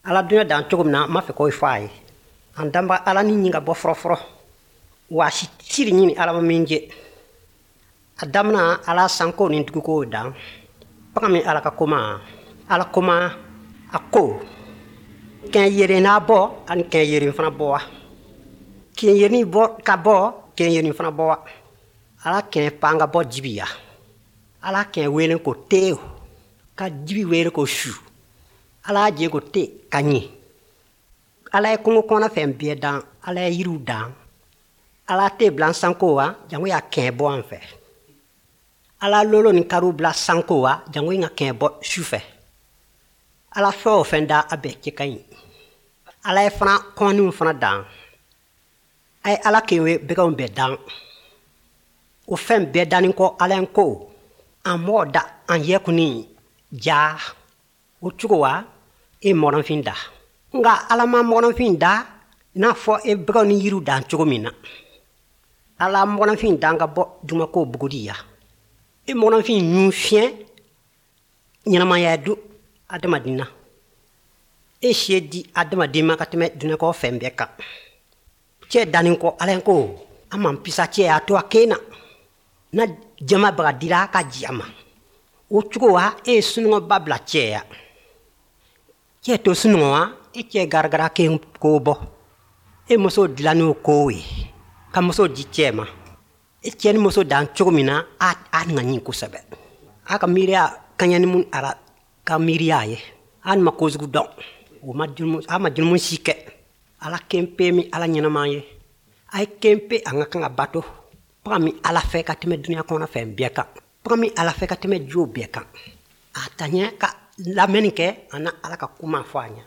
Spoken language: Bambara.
Ala dunya dan cogo min na, n b'a fɛ k'o fɔ a ye. An danba Ala ni ɲin ka bɔ fɔlɔfɔlɔ, wa si siri ɲini Ala ma min jɛ. A damina Ala sanko ni duguko dan. Bagan min Ala ka koma, Ala koma a ko kɛn yeren n'a bɔ ani kɛn yeren fana bɔ wa. Kɛn yeren bɔ ka bɔ, kɛn yeren fana bɔ wa. Ala kɛn pan ka bɔ jibi ya. Ala kɛn wele ko teo, ka jibi wele ko su. Ala jɛ ko te ka ɲɛ. Ala ye kungo kɔnɔ fɛn bɛɛ dan, Ala ye yiriw dan. Ala tɛ bila sanko wa, jango y'a kɛn bɔ an fɛ. Ala lolo ni kariw bila sanko wa, jango ka kɛn bɔ su fɛ. Ala fɛn o fɛn da, a bɛɛ cɛ ka ɲi. Ala ye fana kɔnniw fana dan. A ye Ala kɛn bɛgɛnw bɛɛ dan. O fɛn bɛɛ danni kɔ, Ala ye ko an mɔgɔ da an yɛ kunni ja. O cogo wa, e mɔgɔnfin da. Nka Ala ma mɔgɔnfin da i n'a fɔ e bɛgɛw ni yiriw dan cogo min na. Ala mɔgɔnfin dan ka bɔ dugumakolo buguri ya. E mɔgɔnfin ɲun fiɲɛ ɲɛnamaya don adamaden na. E se di adamaden ma ka tɛmɛ dunɛkɔ fɛn bɛɛ kan. Cɛ danni kɔ, Ala ko an man pisa cɛ y'a to a kɛ na. Na jama baga dira ka ji a ma. O cogo wa, e ye sunɔgɔba bila cɛ ya. Cɛ to sunɔgɔ wa, e cɛ garagara kɛ ko bɔ. E muso dilanni o ko ye, ka muso di cɛ ma. E cɛ ni muso dan cogo min na, a ŋa ɲi kosɛbɛ. A ka miiriya kaɲa ni mun ala ka miiriya ye. A ma kojugu dɔn. O ma jurumu, a ma jurumu si kɛ. Ala kɛnpe min Ala ɲɛnama ye. A ye kɛnpe an ka kan ka bato. Bagan min Ala fɛ ka tɛmɛ dunuya kɔnɔ fɛn bɛɛ kan. Bagan min Ala fɛ ka tɛmɛ jo bɛɛ kan. A ta ɲɛ ka lamɛnni kɛ, a na Ala ka kuma fɔ a ɲɛ.